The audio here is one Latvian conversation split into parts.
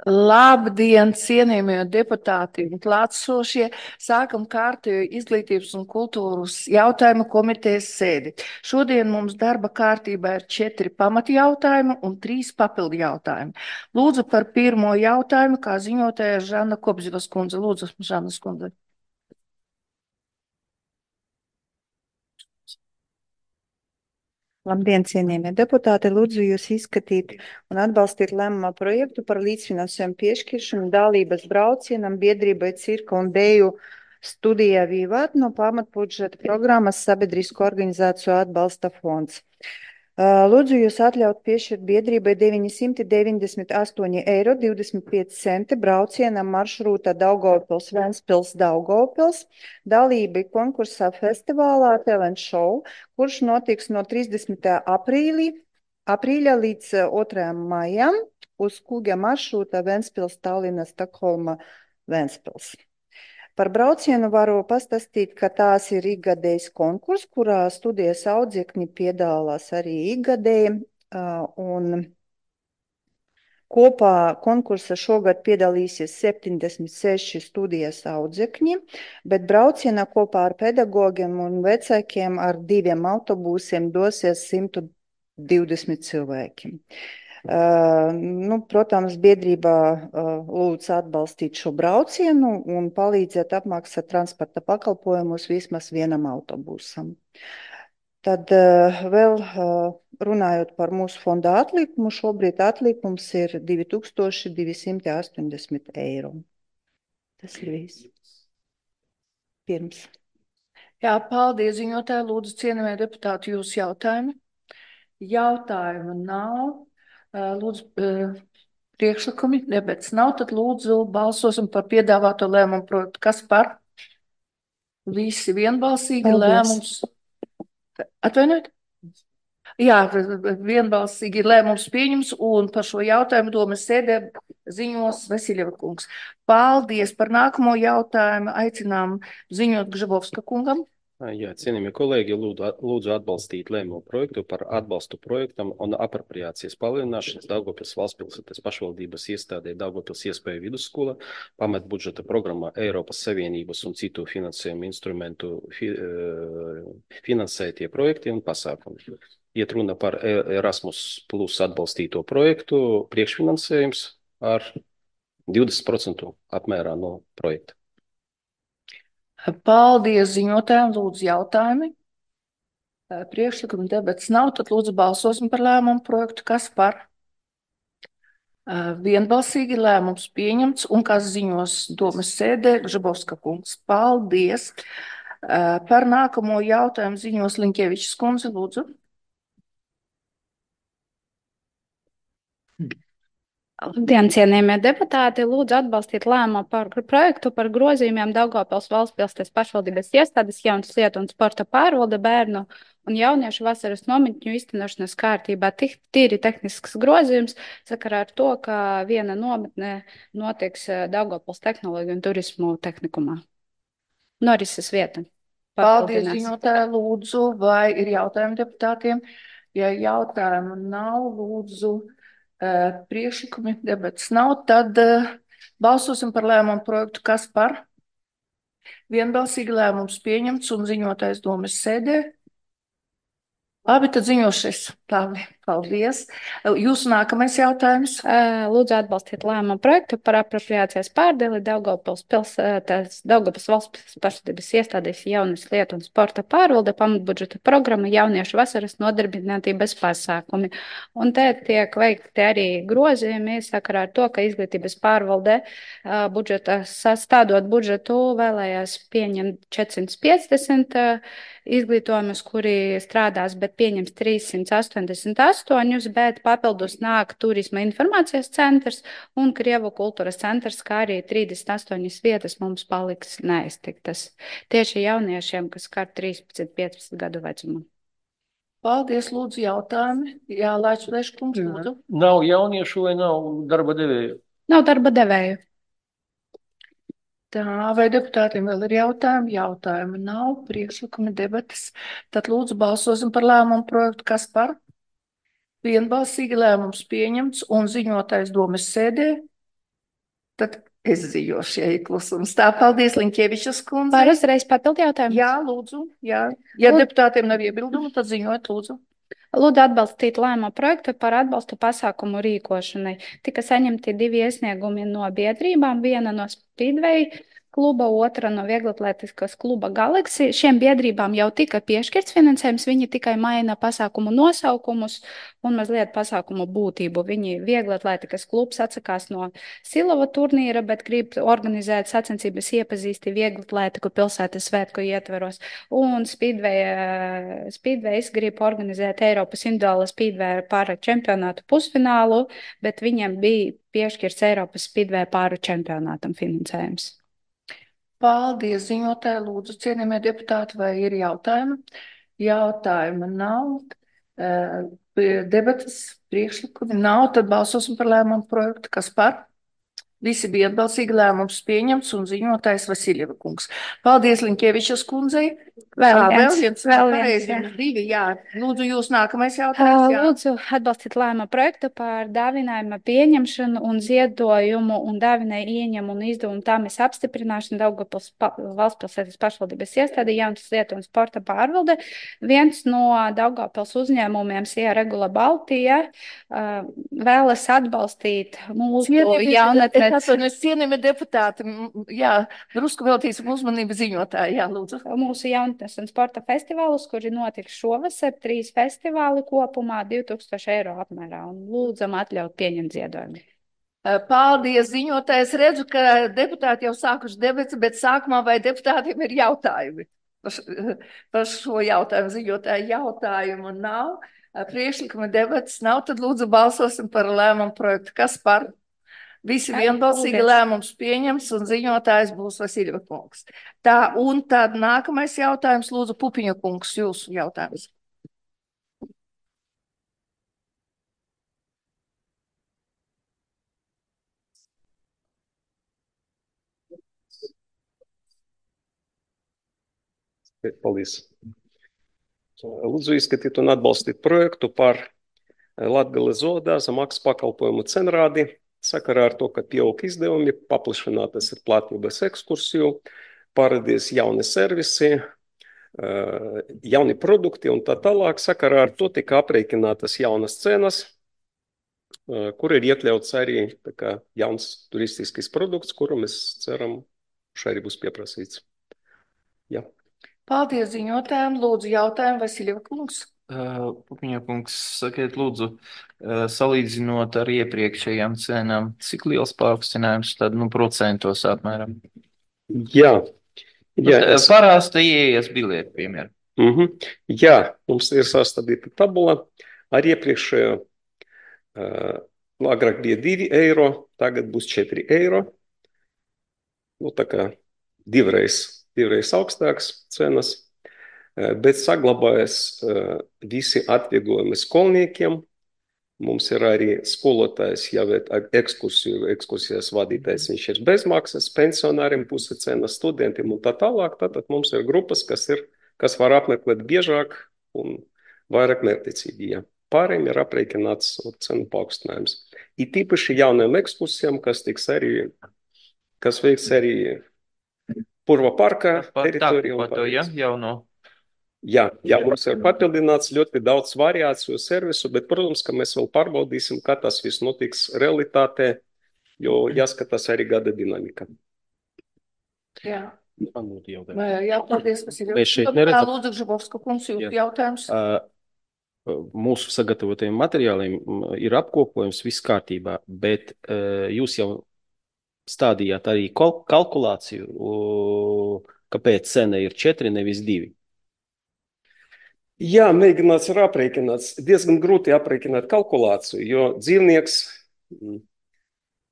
Labdien, cienījamie deputāti un klātsošie! Sākam kārtējo izglītības un kultūras jautājumu komitejas sēdi. Šodien mums darba kārtībā ir 4 pamatjautājumi un 3 papildu jautājumi. Lūdzu par pirmo jautājumu, kā ziņotāja Žana Kopzivas kundze. Lūdzu, Žanas kundze. Labdien, cienījamie deputāti! Lūdzu jūs izskatīt un atbalstīt lēmumā projektu par līdzfinansējumu piešķiršanu dalības braucienam biedrībai Cirka un Deju studijā Vīvāt no pamatbudžeta programmas Sabiedrisko organizāciju atbalsta fonds. Lūdzu jūs atļaut piešķirt biedrībai 998,25 eiro braucienam maršrūtā Daugavpils, Ventspils, Daugavpils, dalībai konkursā festivālā Talent Show, kurš notiks no 30. aprīļa līdz 2. maijam uz kuģa maršrūta Ventspils, Tallina, Stokholma, Ventspils. Par braucienu varu pastāstīt, ka tās ir ikgadējs konkurss, kurā studijas audzēkņi piedalās arī ikgadēji, un kopā konkursa šogad piedalīsies 76 studijas audzēkņi, bet braucienā kopā ar pedagogiem un vecākiem ar 2 autobusiem dosies 120 cilvēki. Protams, biedrībā lūdz atbalstīt šo braucienu un palīdzēt apmaksāt transporta pakalpojumus vismaz vienam autobusam. Tad vēl runājot par mūsu fonda atlikumu, šobrīd atlikums ir 2280 eiro. Tas ir viss. Pirms. Jā, paldies, ziņotāji. Lūdzu, cienījamie deputāti, jūsu jautājumi. Jautājumu nav. Lūdzu, priekšlikumi, debats nav, tad lūdzu balsosim par piedāvāto lēmumu projektu. Kas par? Visi vienbalsīgi. Paldies. Lēmums. Atvainojiet? Jā, vienbalsīgi lēmums pieņems, un par šo jautājumu domas sēdē ziņos Vasiljeva kungs. Paldies par nākamo jautājumu. Aicinām ziņot Gžabovska kungam. Jā, cienījamie kolēģi, lūdzu atbalstīt lēmumu projektu par atbalstu projektam un apropriācijas palielināšanas Daugavpils valstspilsētas pašvaldības iestādē Daugavpils iespēju vidusskola, pamatbudžeta programmā Eiropas Savienības un citu finansējumu instrumentu finansētie projekti un pasākumi. Iet runa par Erasmus plus atbalstīto projektu, priekšfinansējums ar 20% apmērā no projekta. Paldies ziņotājiem, lūdzu jautājumi. Priekšlikuma debats nav, tad lūdzu balsosim par lēmumu projektu. Kas par? Vienbalsīgi lēmums pieņemts, un kas ziņos domas sēdē Gžabovska kungs. Paldies. Par nākamo jautājumu ziņos Liņķevičs kundze, lūdzu. Labdien, cienījamie deputāti! Lūdzu atbalstīt lēmumu par projektu par grozījumiem Daugavpils valstspilsētas pašvaldības iestādes jaunas lietu un sporta pārvalde bērnu un jauniešu vasaras nometņu īstenošanas kārtībā. Tīri tehnisks grozījums sakarā ar to, ka viena nometne notiks Daugavpils tehnoloģiju un turismu tehnikumā. Norises vieta. Paldies, ziņotāji, lūdzu, vai ir jautājumi deputātiem? Ja jautājumu nav, lūdzu. Priekšlikumi debats nav, tad balsosim par lēmumu projektu. Kas par? Vienbalsīgi lēmums pieņemts un ziņotājs domas sēdē. Labi, tad ziņošies. Labi, paldies. Jūsu nākamais jautājums. Lūdzu atbalstīt lēmumu projektu par apropriācijas pārdeli Daugavpils valsts pašvaldības iestādēs jaunas lietu un sporta pārvalde pamatbudžeta programma jauniešu vasaras nodarbinātības pasākumi. Un te tiek veikti arī grozījumi sakarā ar to, ka izglītības pārvalde sastādot budžetu vēlējās pieņemt 450 izglītojumus, kuri strādās, bet pieņems 388, bet papildus nāk Turisma informācijas centrs un Krievu kultūras centrs, kā arī 38 vietas mums paliks neiztiktas. Tieši jauniešiem, kas skar 13-15 gadu vecumu. Paldies, lūdzu, jautājumi. Jā, Laičs kungs, lūdzu. Nav jauniešu vai nav darba devēju? Nav darba devēju. Tā, vai deputātiem vēl ir jautājumi? Jautājumi nav, priekšlikumi debatas. Tad lūdzu balsosim par lēmumu projektu. Kas par? Vienbalsīgi lēmums pieņemts un ziņotājs domas sēdē. Tad es ziņošu, ja ir klusums. Tā, paldies, Liņķievičas kundze. Var uzreiz papildu jautājumu? Jā, lūdzu, jā. Ja Lūdzu. deputātiem nav iebildumu, tad ziņojiet, lūdzu. Lūdzu atbalstīt lēmumu projektu par atbalstu pasākumu rīkošanai. Tika saņemti 2 iesniegumi no biedrībām, viena no Speedway kluba, otra no vieglatlētiskās kluba Galaxy. Šiem biedrībām jau tika piešķirts finansējums, viņi tikai maina pasākumu nosaukumus un mazliet pasākumu būtību. Viņi vieglatlētikas klubs atsakās no Silava turnīra, bet grib organizēt sacensības iepazīsti vieglatlētiku pilsētas svētku ietveros. Un Speedways grib organizēt Eiropas individuāla Speedway pāra čempionātu pusfinālu, bet viņiem bija piešķirts Eiropas Speedway pāra čempionātam finansējums. Paldies, ziņotāji, lūdzu, cienījamie deputāti, vai ir jautājumi? Jautājuma nav. Debatas priekšlikumi nav, tad balsosim par lēmumu projektu. Kas par? Visi bija atbalstīgi, lēmums pieņemts un ziņotājs Vasiljeva kungs. Paldies, Liņķievičas kundzei. Vēl Vēl viens, pareizi, jā. 2, jā. Lūdzu, jūs nākamais jautājums, jā. Lūdzu atbalstīt lēmumu projektu par dāvinājuma pieņemšanu un ziedojumu un dāvinājumu ieņemu un izdevumu tāmes apstiprināšanu Daugavpils valstspilsētas pašvaldības iestāde Jaunas lietu un sporta pārvalde. Viens no Daugavpils uzņēmumiem, Sija Regula Baltija, vēlas atbalstīt mūsu jaunatnes. Es atvainojos, cienījamie deputāti, jā, drusku veltīsim uzmanību ziņotāji, jā, lūdzu. Mūsu jaunatnes un sporta festivālus, kuri notiks šovasar, 3 festivāli kopumā 2000 eiro apmērā, un lūdzam atļaut pieņemt ziedojumu. Paldies, ziņotājs. Redzu, ka deputāti jau sākuši debats, bet sākumā vai deputātiem ir jautājumi par šo jautājumu? Ziņotāju jautājumu nav, priekšlikuma debats nav, tad lūdzu balsosim par lēmumu projektu. Kas par? Visi vienbalsīgi, lēmums pieņems un ziņotājs būs Vasiljeva kungs. Tā, un tad nākamais jautājums, lūdzu, Pupiņa kungs, jūsu jautājums. Paldies. Lūdzu izskatīt un atbalstīt projektu par Latgales zoodārza maksas pakalpojumu cenrādi. Sakarā ar to, ka pieaug izdevumi, paplašinātas ir platības ekskursiju, parādīs jauni servisi, jauni produkti un tā tālāk. Sakarā ar to tika aprēķinātas jaunas cenas, kur ir iekļauts arī jauns turistisks produkts, kuru mēs ceram, šai arī būs pieprasīts. Jā. Paldies ziņotājiem. Lūdzu jautājumu Vasiljeva kungs. Pupiņa kungs, sakiet lūdzu, salīdzinot ar iepriekšējām cenām, cik liels paaugstinājums tad, procentos apmēram? Jā. Parasta ieejas biļeti, piemēram. Jā, mums ir sastādīta tabula ar iepriekšējo, agrāk bija 2 eiro, tagad būs 4 eiro. Tā kā divreiz augstāks cenas. Bet saglabājas visi atvieglojumi skolniekiem. Mums ir arī skolotājs, jau ekskursijas vadītājs, viņš ir bezmaksas, pensionāriem puse cenas, studentiem un tā tālāk. Tātad mums ir grupas, kas var apmeklēt biežāk un vairāk mērķtiecīgi. Ja. Pārējiem ir aprēķināts cenu paaugstinājums. It īpaši jauniem ekskursijām, kas veiks arī Purva parka teritorijā. Jā, mums ir papildināts ļoti daudz variāciju servisu, bet, protams, ka mēs vēl pārbaudīsim, kā tas viss notiks realitātē, jo jāskatās arī gada dinamika. Jā. Jā, paldies, Vasiljeva. Mēs šeit neredzam. Lūdzu, Žabovska kungs, jūsu jautājums. Mūsu sagatavotajiem materiāliem ir apkopojums, viss kārtībā, bet jūs jau stādījāt arī kalkulāciju, kāpēc cena ir 4, nevis 2. Jā, mēģināts ir aprēķināts. Diezgan grūti aprēķināt kalkulāciju, jo dzīvnieks,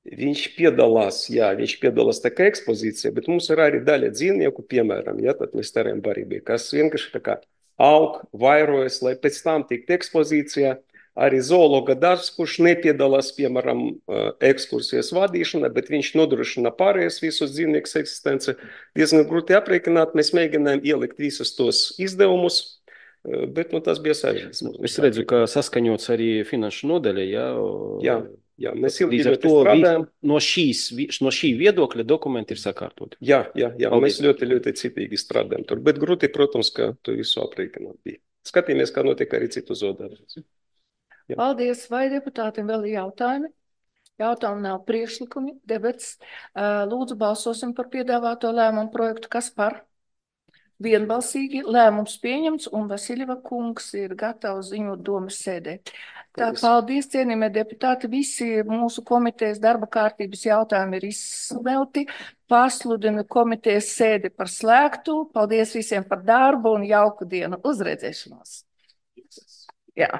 viņš piedalās tā kā ekspozīcija, bet mums ir arī daļa dzīvnieku, piemēram, tad mēs tērējam barībai, kas vienkārši tā kā aug, vairojas, lai pēc tam tikt ekspozīcijā. Arī zoologa darbs, kurš nepiedalās, piemēram, ekskursijas vadīšanā, bet viņš nodrošina pārējais visus dzīvniekus eksistenci. Diezgan grūti aprēķināt, mēs mēģinājām ielikt visus tos izdevumus, bet tas bija sarežģīts. Es redzu, ka saskaņots arī finanšu nodaļa, Jā. Jā, mēs ilgi Līdz ar ļoti to strādājam. no šī viedokļa dokumenti ir sakārtoti. Jā, Paldies. mēs ļoti citīgi strādājam tur, bet grūti, protams, ka to visu aprēķināt bija. Skatīmies, kā notiek arī citu zodarbus. Jā. Paldies. Vai deputātiem vēl ir jautājumi? Jautājumu nav, priekšlikumi, debats. Lūdzu, balsosim par piedāvāto lēmumu projektu. Kas par? Vienbalsīgi lēmums pieņemts, un Vasiljeva kungs ir gatavs ziņot domas sēdē. Tā, paldies, cienījamie deputāti. Visi mūsu komitejas darba kārtības jautājumi ir izsmelti. Pasludinu komitejas sēdi par slēgtu. Paldies visiem par darbu un jauku dienu. Uzredzēšanos. Jā.